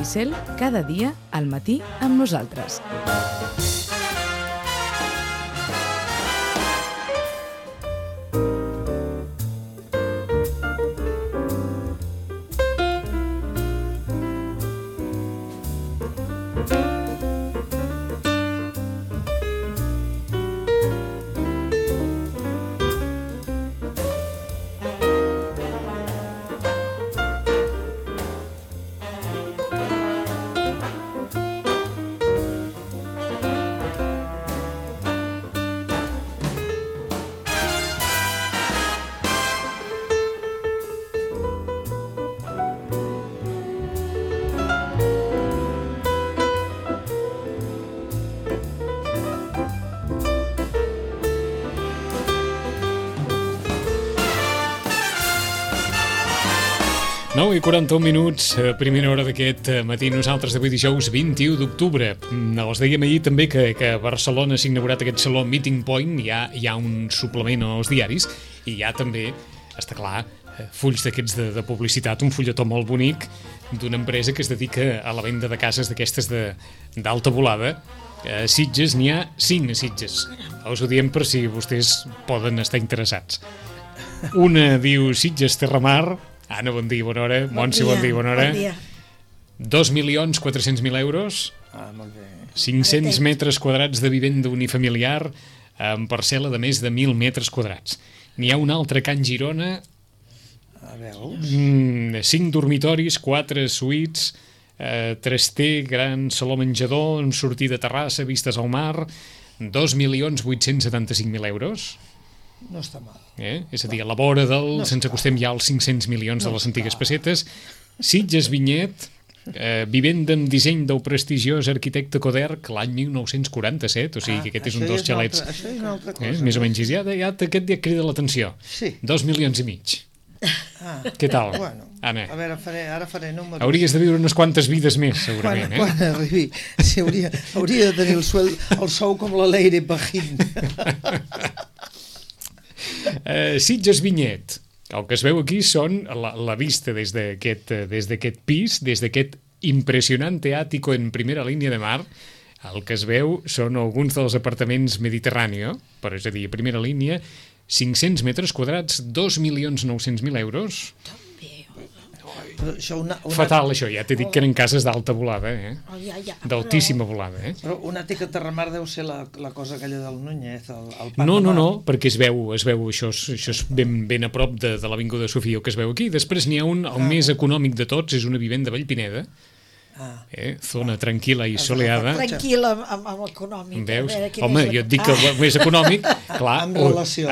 Cel, cada dia al matí amb nosaltres. I 41 minuts, primera hora d'aquest matí. Nosaltres d'avui dijous 21 d'octubre. Els dèiem ahir també que a Barcelona s'ha inaugurat aquest saló Meeting Point. Hi ha un suplement als diaris i hi ha també, està clar, fulls d'aquests de publicitat, un fulletó molt bonic d'una empresa que es dedica a la venda de cases d'aquestes d'alta volada. A Sitges n'hi ha 5 a Sitges. Us ho diem per si vostès poden estar interessats. Una diu Sitges Terramar. Anna, bon dia, bona hora. Montse, bon dia, bona hora. Bon dia. 2.400.000 euros. Molt bé. 500 metres quadrats de vivenda unifamiliar amb parcel·la de més de 1.000 metres quadrats. N'hi ha un altre a Can Girona. A veus? 5 dormitoris, 4 suites, 3T, gran saló menjador, amb sortida a terrassa, vistes al mar, 2.875.000 euros. No està mal. És a dir, a la vora se'ns acostem ja als 500 milions de les antigues pessetes. Sitges Vinyet, vivenda amb disseny del prestigiós arquitecte Coderch l'any 1947, o sigui que aquest és un dels xalets. Això és una altra cosa. Més o menys, ja aquest dia crida l'atenció. Sí. 2,5 milions. Què tal, Bueno, Anna? a veure, ara faré números. Hauries de viure unes quantes vides més, segurament. Quan arribi, sí, hauria de tenir el sou com la Leire Pajín. Sitges Vinyet. El que es veu aquí són la vista des d'aquest pis, des d'aquest impressionante ático en primera línia de mar. El que es veu són alguns dels apartaments Mediterráneo, però és a dir, a primera línia, 500 metres quadrats, 2.900.000 euros. Fatal, això, ja t'he dit que eren cases d'alta volada, d'altíssima volada. Però un àtic a Terramar deu ser la cosa aquella del Núñez, el parc No, de mar. perquè es veu això és ben a prop de l'Avinguda Sofia, que es veu aquí. Després n'hi ha un, el més econòmic de tots, és una vivenda a Vallpineda, zona tranquil·la i soleada. Tranquil·la amb l'econòmic. Veus? Home, jo et dic que el més econòmic, clar,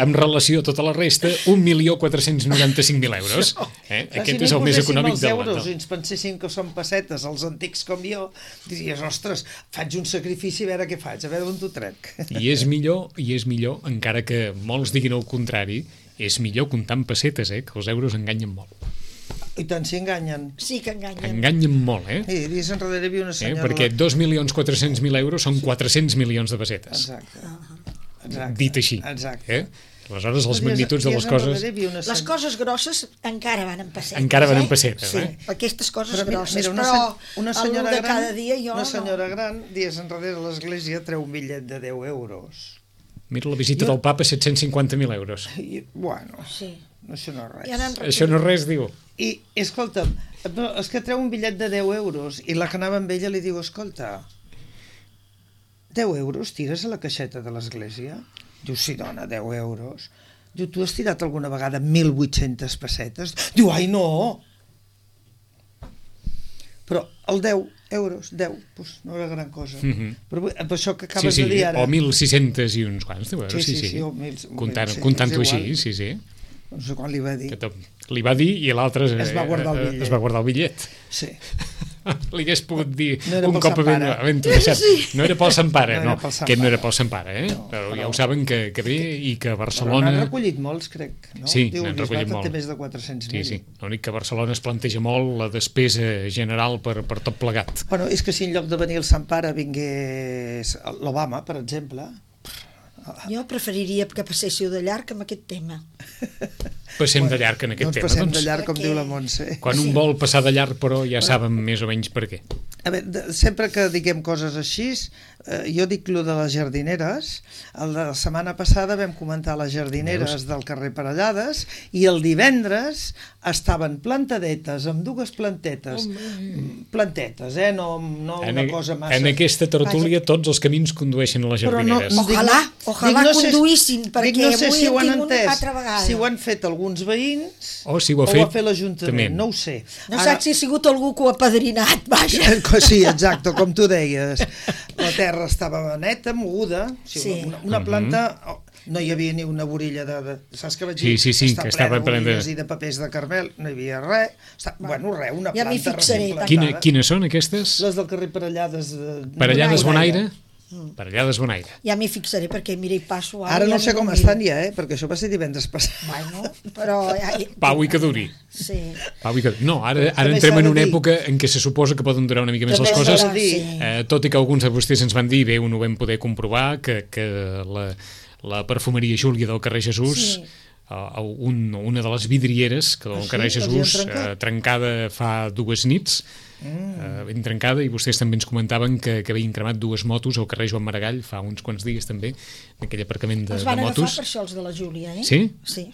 amb relació a tota la resta, 1.495.000 euros. Aquest és el més econòmic de l'any. Si ens penséssim que són pessetes, els antics com jo, diries, ostres, faig un sacrifici a veure què faig, a veure on t'ho trec. I és millor, encara que molts diguin el contrari, és millor comptar en pessetes, que els euros enganyen molt. I tant, si enganyen. Sí que enganyen. Enganyen molt, Sí, dies enrere hi havia una senyora... Perquè 2.400.000 euros són 400 milions de pessetes. Exacte. Dit així. Exacte. Aleshores, les magnituds de les coses... Les coses grosses encara van en pessetes. Encara van en pessetes, Sí, aquestes coses grosses. Però una senyora gran, cada dia jo una senyora gran, dies enrere a l'església, treu un bitllet de 10 euros. Mira, la visita del papa, 750.000 euros. Bueno, sí. Això no és res. Això no és res, diu. I, escolta'm, és que treu un bitllet de 10 euros i la que anava amb ella li diu, escolta, 10 euros tires a la caixeta de l'església? Diu, sí, dona, 10 euros. Diu, tu has tirat alguna vegada 1.800 pessetes? Diu, ai, no! Però el 10 euros, 10, doncs no era gran cosa. Però per això que acabes de dir ara... O 1.600 i uns quants, deu euros, sí. Comptant-ho així, sí. No sé quan li va dir. Li va dir i l'altre es va guardar el bitllet. Sí. Li hagués pogut dir un cop ben deixat. No era pel Sant Pare, no. Aquest no era pel Sant Pare, però ja ho saben que ve i que a Barcelona... N'han recollit molts, crec. Sí, n'han recollit molts. Té més de 400.000. Sí. L'únic que a Barcelona es planteja molt la despesa general per tot plegat. Bueno, és que si en lloc de venir el Sant Pare vingués l'Obama, per exemple... Jo preferiria que passéssiu de llarg amb aquest tema. Passem de llarg en aquest tema. Passem de llarg, com diu la Montse. Quan un vol passar de llarg, però ja saben més o menys per què. A veure, sempre que diguem coses així, jo dic lo de les jardineres. La setmana passada vam comentar les jardineres del carrer Parellades i el divendres estaven plantadetes, amb dues plantetes, no una cosa massa. En aquesta tertúlia tots els camins condueixen a les jardineres. Ojalà conduïssin, perquè no sé avui si ho han tinc una entès, altra vegada. si ho han fet alguns veïns o si ho ha fet l'Ajuntament, no ho sé. No saps si ha sigut algú que ho ha padrinat, vaja. Sí, exacte, com tu deies. La terra estava neta, moguda, una planta... No hi havia ni una vorilla de... Saps que vaig dir? Sí, que estava plena de vorilles i de papers de carmel, no hi havia res. Bueno, res, una ja planta reciclada. Quines són aquestes? Les del carrer Parellades. Parellades Bonaire? Parellades Bonaire. Ja m'hi fixaré, perquè mira, hi passo... Ara no sé com estan ja, perquè això va ser divendres passat. Bueno, però... Pau i que duri. Sí. No, ara entrem en una època en què se suposa que poden durar una mica més les coses, tot i que alguns de vostès ens van dir, bé, ho vam poder comprovar, que la perfumeria Júlia del carrer Jesús, una de les vidrieres del carrer Jesús, trencada fa 2 nits, ben trencada, i vostès també ens comentaven que havien cremat 2 motos al carrer Joan Maragall fa uns quants dies també, en aquell aparcament de motos. Els van agafar per això els de la Júlia, eh? Sí? Sí.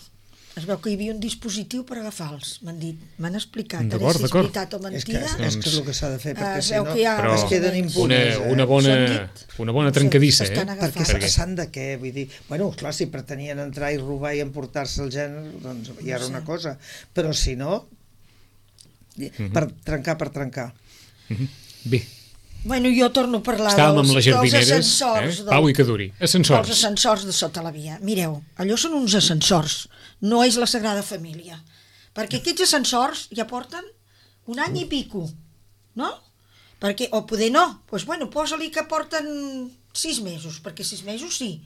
Es veu que hi havia un dispositiu per agafar-los, m'han dit, m'han explicat, d'acord, si és veritat o mentida. És que és el que s'ha de fer, perquè si no es queden impunes. Una bona trencadissa, Perquè s'han de què? Vull dir, bueno, clar, si pretenien entrar i robar i emportar-se el gènere, doncs ja era una cosa, però si no, per trencar. Bé. Bueno, jo torno a parlar dels ascensors. Pau i que duri. Ascensors. Els ascensors de sota la via. Mireu, allò són uns ascensors, no és la Sagrada Família. Perquè aquests ascensors ja porten 1 any i pico, no? Perquè, o poder no, doncs bueno, posa-li que porten 6 mesos, perquè 6 mesos sí.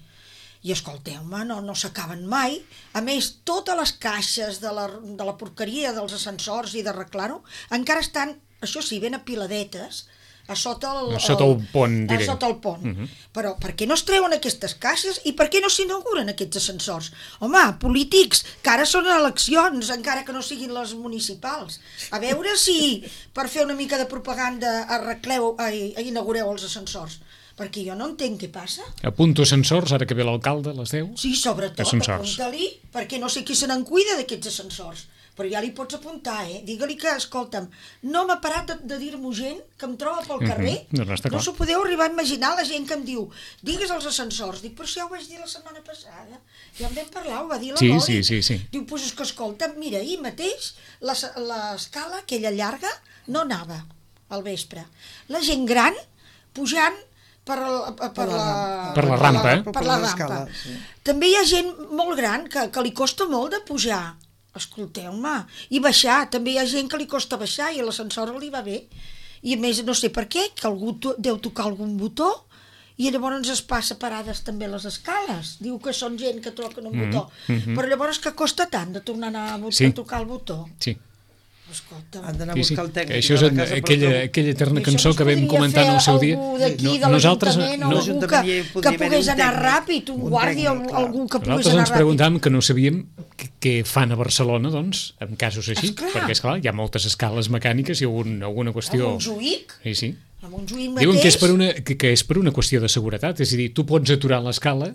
I escolteu-me, no s'acaben mai. A més, totes les caixes de la porqueria dels ascensors i d'arreglar-ho encara estan, això sí, ben apiladetes, a sota el pont, diré. Sota el pont. Però per què no es treuen aquestes caixes i per què no s'inauguren aquests ascensors? Home, polítics, que ara són eleccions, encara que no siguin les municipals. A veure si per fer una mica de propaganda inaugureu els ascensors. Perquè jo no entenc què passa. Apunto ascensors, ara que ve l'alcalde, les 10. Sí, sobretot, apunta-li, perquè no sé qui se n'en cuida d'aquests ascensors. Però ja li pots apuntar, Digue-li que, escolta'm, no m'ha parat de dir-m'ho gent que em troba pel carrer. No s'ho podeu arribar a imaginar, la gent que em diu, digues els ascensors. Dic, però si ja ho vaig dir la setmana passada. Ja en vam parlar, ho va dir la Loli. Sí. Diu, doncs és que, escolta'm, mira, ahir mateix l'escala, aquella llarga, no anava al vespre. La gent gran pujant per la rampa. També hi ha gent molt gran que li costa molt de pujar. Escolteu-me, i baixar, també hi ha gent que li costa baixar i l'ascensor li va bé. I a més, no sé per què, que algú deu tocar algun botó i llavors es passa parades també les escales. Diu que són gent que toquen un botó. Però llavors que costa tant de tornar a tocar el botó? Sí. Han d'anar a buscar el tècnic. Això és aquella eterna cançó que vam comentar en el seu dia. Nosaltres que pogués anar ràpid, un guàrdia, algú que pogués anar ràpid. Nosaltres ens preguntàvem que no sabíem què fan a Barcelona, doncs, en casos així, perquè, esclar, hi ha moltes escales mecàniques i alguna qüestió... A Montjuïc? Sí. A Montjuïc mateix... Diuen que és per una qüestió de seguretat, és a dir, tu pots aturar l'escala,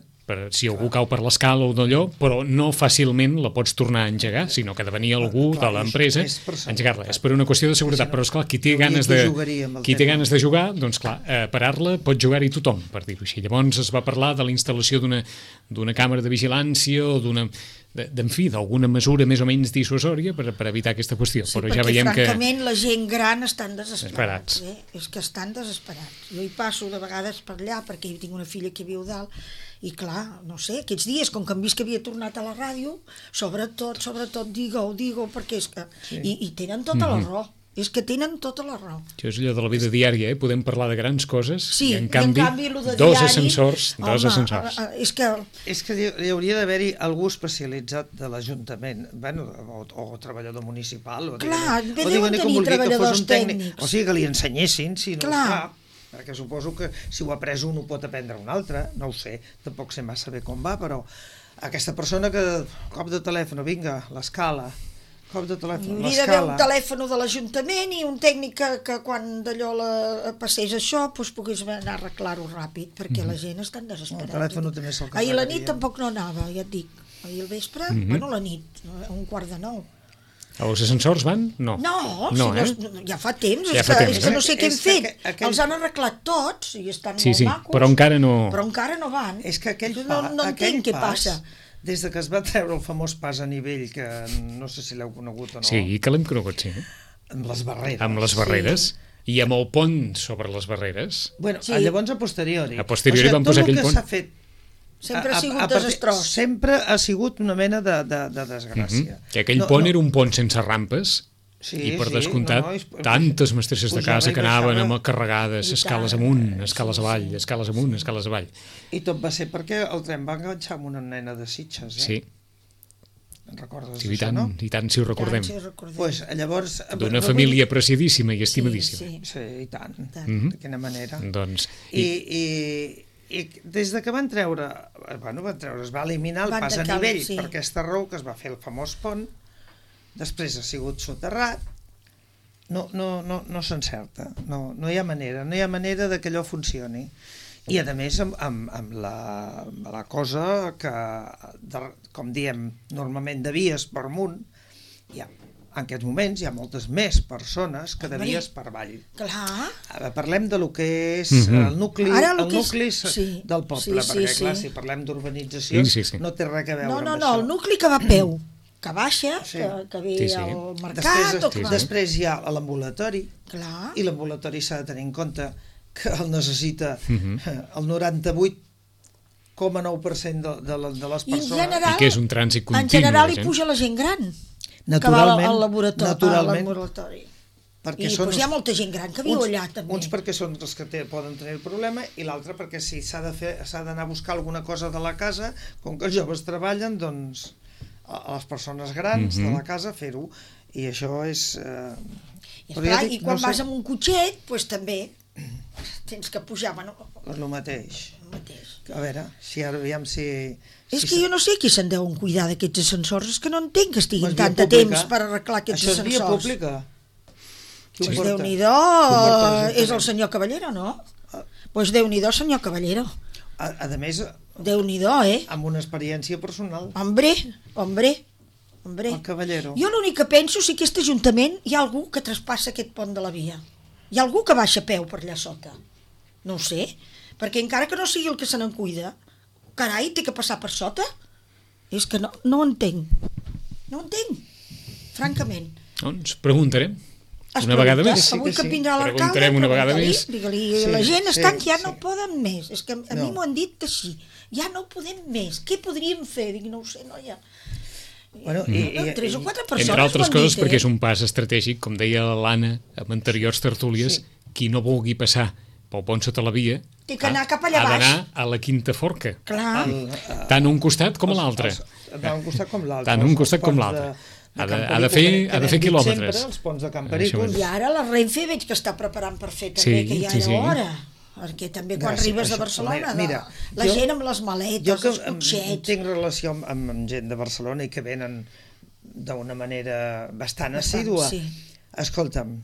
si algú cau per l'escala o d'allò, però no fàcilment la pots tornar a engegar, sinó que ha de venir algú de l'empresa a engegar-la. És per una qüestió de seguretat, però esclar, qui té ganes de jugar, doncs clar, parar-la pot jugar-hi tothom, per dir-ho així. Llavors es va parlar de la instal·lació d'una càmera de vigilància o d'alguna mesura més o menys dissuasòria per evitar aquesta qüestió. Sí, però ja veiem que... francament la gent gran estan desesperats. És que estan desesperats. Jo hi passo de vegades per allà perquè jo tinc una filla que viu dalt i clar, no sé, aquests dies, com que hem vist que havia tornat a la ràdio, sobretot, digue-ho, perquè és que... I tenen tota la raó. És que tenen tota la raó. Això és allò de la vida diària, podem parlar de grans coses i en canvi dos ascensors. És que hi hauria d'haver-hi algú especialitzat de l'Ajuntament, o treballador municipal, clar, deuen tenir treballadors tècnics. O sigui, que li ensenyessin, si no... Clar, perquè suposo que si ho ha après un ho pot aprendre un altre, no ho sé, tampoc sé massa bé com va, però aquesta persona que cop de telèfon, vinga, l'escala, cop de telèfon, hauria d'haver un telèfon de l'Ajuntament i un tècnic que quan d'allò passés això pogués anar a arreglar-ho ràpid, perquè la gent està desesperada. El telèfon també se'l Ahir a la nit tampoc no anava, ja et dic. Ahir al vespre, bueno, la nit, a 8:45. Els ascensors van? No. No, ja fa temps, ja és que no sé què hem fet. Els han arreglat tots i estan molt macos. Però encara no van. És que aquell no entenc què passa. Des que es va treure el famós pas a nivell, que no sé si l'heu conegut o no. Sí, que l'hem conegut, sí. Amb les barreres. Amb les barreres. Sí. I amb el pont sobre les barreres. Bueno, llavors a posteriori. A posteriori van posar aquell pont. Tot el que s'ha fet sempre ha sigut desastrós. Sempre ha sigut una mena de desgràcia. Que aquell pont era un pont sense rampes. I per descomptat, tantes mestresses de casa que anaven amb carregades, escales amunt, escales avall, escales amunt, escales avall. I tot va ser perquè el tren va enganxar amb una nena de Sitges, Sí. En recordes d'això, no? I tant si ho recordem. Pues, llavors... D'una família apreciadíssima i estimadíssima. Sí, i tant. De quina manera. Doncs... I des de que van treure, es va eliminar el pas a nivell per aquesta raó que es va fer el famós pont, després ha sigut soterrat, no s'encerta, no hi ha manera de que allò funcioni. I a més amb la cosa que, com diem, normalment de vies per amunt, en aquests moments hi ha moltes més persones que de vies per avall. Clar. Parlem de lo que és el nucli del poble, perquè clar, si parlem d'urbanització no té res a veure amb això. No, el nucli que va a peu, que baixa, que ve al mercat... Després hi ha l'ambulatori, i l'ambulatori s'ha de tenir en compte que el necessita el 98,9% de les persones. I que és un trànsit continu. En general hi puja la gent gran que va al laboratori. I hi ha molta gent gran que viu allà també. Uns perquè són els que poden tenir el problema i l'altre perquè si s'ha d'anar a buscar alguna cosa de la casa, com que els joves treballen, doncs a les persones grans de la casa fer-ho, i això és... I quan vas amb un cotxet, doncs també tens que pujar, bueno... És el mateix. A veure, aviam si... És que jo no sé qui se'n deuen cuidar d'aquests ascensors, és que no entenc que estiguin tant de temps per arreglar aquests ascensors. Això és via pública. Doncs Déu-n'hi-do, és el senyor Caballero, no? Doncs Déu-n'hi-do, senyor Caballero. A més... Déu-n'hi-do, amb una experiència personal. Hombre. El Caballero. Jo l'únic que penso, si aquest Ajuntament hi ha algú que traspassa aquest pont de la via. Hi ha algú que baixa a peu per allà sota. No ho sé, perquè encara que no sigui el que se n'en cuida, carai, té que passar per sota? És que no ho entenc. No ho entenc, francament. Doncs preguntarem. Una vegada més. Avui que vindrà l'alcalde, preguntarem una vegada més. Digue-li, la gent està que ja no poden més. És que a mi m'ho han dit així. Ja no podem més. Què podríem fer? Dic, no ho sé, noia. Bueno, 3 o 4 persones entre altres coses perquè és un pas estratègic, com deia l'Anna en anteriors tertúlies, qui no vulgui passar pel pont sota la via té que anar cap allà baix, ha d'anar a la Quinta Forca. Clar. Tant un costat com l'altre. Tant un costat com l'altre. Tant un costat com l'altre. Ha de fer quilòmetres. Els ponts de Camp Pericos. I ara la Renfe veig que està preparant per fer també, que ja era hora. Perquè també quan arribes a Barcelona, la gent amb les maletes, els cotxets... Jo tinc relació amb gent de Barcelona i que venen d'una manera bastant assídua. Escolta'm,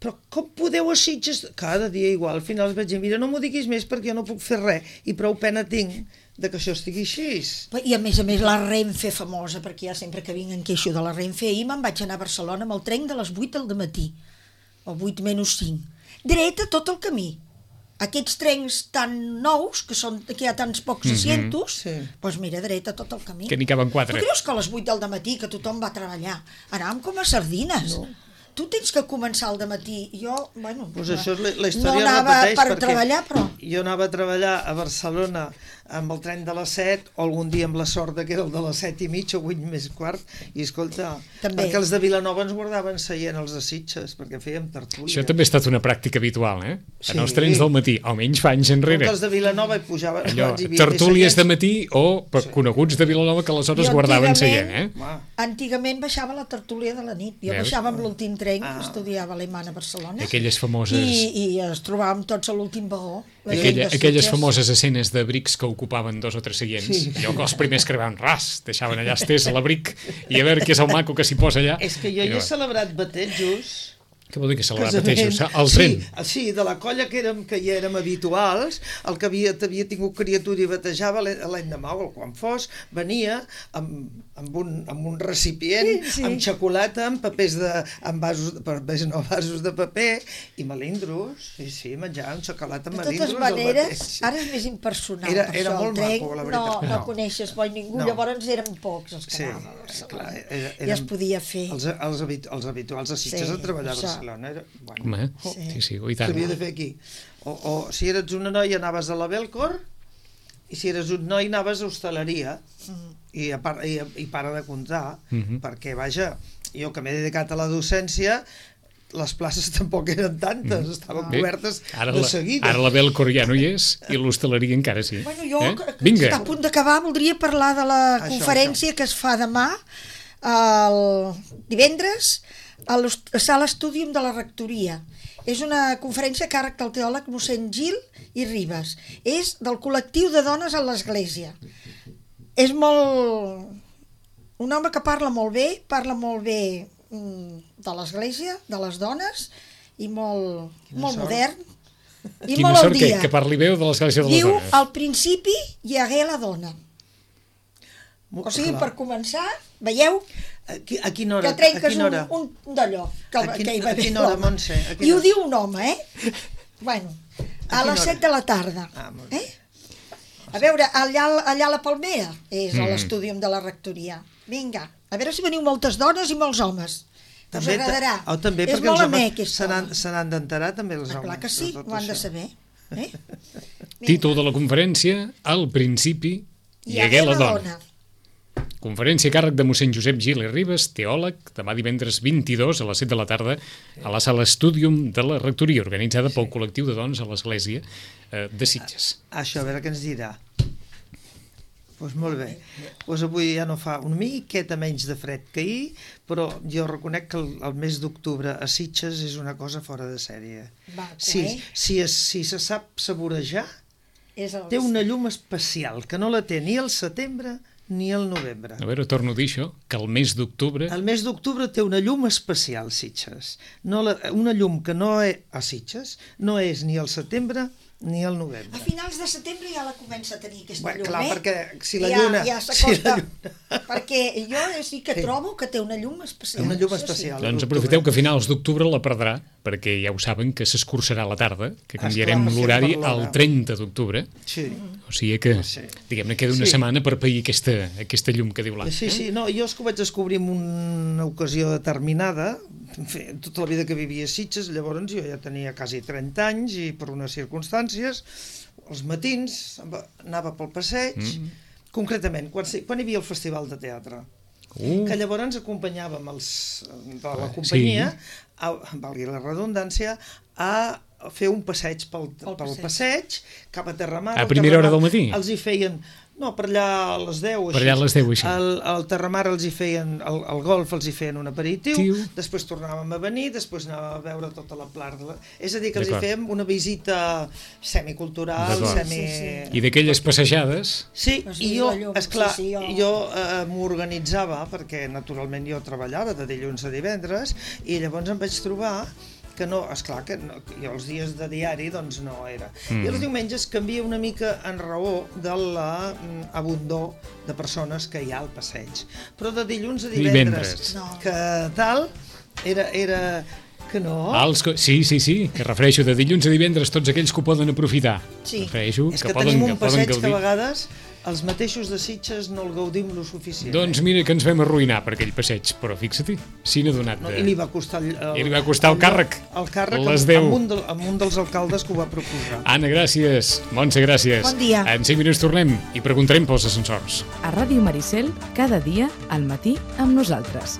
però com podeu a Sitges... Cada dia igual, al final vaig dir, mira, no m'ho diguis més perquè jo no puc fer res i prou pena tinc de que això estigui així. I a més la Renfe famosa, perquè ja sempre que vinc en queixo de la Renfe, ahir me'n vaig anar a Barcelona amb el tren de les 8 del matí, o 8 menys 5. Dreta tot el camí. Aquests trens tan nous, que hi ha tants pocs asientos, doncs mira, dreta tot el camí. Que n'hi caben 4. Tu creus que a les 8 del matí, que tothom va a treballar, anàvem com a sardines? No. Tu tens que començar al dematí. Jo, bueno, pues això és la història no anava per treballar, però... Jo anava a treballar a Barcelona amb el tren de les 7, o algun dia amb la sort que era el de les 7 i mig o 8 més quart, i escolta, perquè els de Vilanova ens guardaven seient els de Sitges, perquè fèiem tertúlia. Això també ha estat una pràctica habitual, en els trens del matí, almenys fa anys enrere. Els de Vilanova hi pujaven... Tertúlies de matí o coneguts de Vilanova que aleshores guardaven seient, Antigament baixava la tertúlia de la nit, jo baixava amb l'últim tren tren, estudiava alemany a Barcelona. Aquelles famoses... I es trobàvem tots a l'últim vagó. Aquelles famoses escenes de brics que ocupaven 2 o 3 seients. Sí. Allò que els primers que arribaven, deixaven allà estès a l'abric i a veure què és el maco que s'hi posa allà. És que jo he celebrat batejos... Què vol dir que celebrar batejos? El tren? Sí, de la colla que hi érem habituals, el que havia tingut criatura i batejava l'endemà o quan fos, venia amb un recipient, amb xocolata, amb vasos de paper i melindros, menjàvem xocolata amb melindros. De totes maneres, ara és més impersonal. Era molt maco, la veritat. No coneixes bo ningú, llavors érem pocs els que anàvem a Barcelona. I es podia fer. Els habituals a Sitges a treballar a Barcelona. Home, sí, i tant. S'havia de fer aquí. O si eres una noia anaves a la Belcor i si eres un noi anaves a hostaleria i para de comptar, perquè vaja, jo que m'he dedicat a la docència, les places tampoc eren tantes, estaven cobertes de seguida. Ara la Belcor ja no hi és i l'hostaleria encara sí. Bueno, jo, que està a punt d'acabar, voldria parlar de la conferència que es fa demà, el divendres, a la sala Estúdium de la Rectoria. És una conferència a càrrec del teòleg mossèn Gil i Ribas. És del col·lectiu de dones a l'Església. És un home que parla molt bé de l'Església, de les dones, i molt modern, i molt al dia. Que parli bé de l'Església de les dones. Diu, al principi hi hagué la dona. O sigui, per començar, veieu? A quina hora? Que trenques un d'allò. A quina hora, Montse? I ho diu un home, Bueno, a les 7 de la tarda. A veure, allà a la Palmera és l'estúdium de la rectoria. Vinga, a veure si veniu moltes dones i molts homes. Us agradarà. És molt amè, aquest home. Se n'han d'enterar també els homes. Clar que sí, ho han de saber. Títol de la conferència, al principi hi hagué la dona. Conferència a càrrec de mossèn Josep Gil i Ribas, teòleg, demà divendres 22 a les 7 de la tarda a la sala Estúdium de la Rectoria, organitzada pel col·lectiu de dones a l'Església de Sitges. Això, a veure què ens dirà. Doncs molt bé. Avui ja no fa una miqueta menys de fred que ahir, però jo reconec que el mes d'octubre a Sitges és una cosa fora de sèrie. Si se sap saborejar, té una llum especial, que no la té ni al setembre ni al novembre. A veure, torno a dir això, que el mes d'octubre... El mes d'octubre té una llum especial, Sitges. Una llum que no és a Sitges, no és ni al setembre ni al novembre. A finals de setembre ja la comença a tenir aquesta llum, clar, perquè si la lluna... Ja s'acosta, perquè jo sí que trobo que té una llum especial. Una llum especial. Doncs aprofiteu que a finals d'octubre la perdrà, perquè ja ho saben que s'escurçarà la tarda, que canviarem l'horari al 30 d'octubre. Sí. O sigui que, diguem-ne, queda una setmana per pair aquesta llum que diu l'Anna. Sí, no, jo és que ho vaig descobrir en una ocasió determinada, tota la vida que vivia a Sitges, llavors jo ja tenia quasi 30 anys i per unes circumstàncies, els matins anava pel passeig, concretament, quan hi havia el festival de teatre, que llavors ens acompanyàvem els de la companyia, valgui la redundància, a fer un passeig pel passeig, cap a Terramar. A primera hora del matí? Els hi feien... No, per allà a les 10 així. Per allà a les 10 així. Al Terramar els hi feien, al golf els hi feien un aperitiu, després tornàvem a venir, després anàvem a veure tota la plana. És a dir, que els hi fèiem una visita semicultural, I d'aquelles passejades... Sí, i jo, esclar, jo m'organitzava, perquè naturalment jo treballava de dilluns a divendres, i llavors em vaig trobar que no, esclar, que jo els dies de diari doncs no era. I els diumenges canvia una mica en raó de l'abundor de persones que hi ha al passeig. Però de dilluns a divendres. Que tal, era que no. Sí, que refereixo de dilluns a divendres tots aquells que ho poden aprofitar. Sí, és que tenim un passeig que a vegades els mateixos de Sitges no el gaudim lo suficient. Doncs mira que ens vam arruïnar per aquell passeig, però fixa-t'hi, si n'ha donat de... I li va costar el càrrec. El càrrec amb un dels alcaldes que ho va proposar. Anna, gràcies. Montse, gràcies. Bon dia. En 5 minuts tornem i preguntarem pels ascensors. A Ràdio Maricel, cada dia, al matí, amb nosaltres.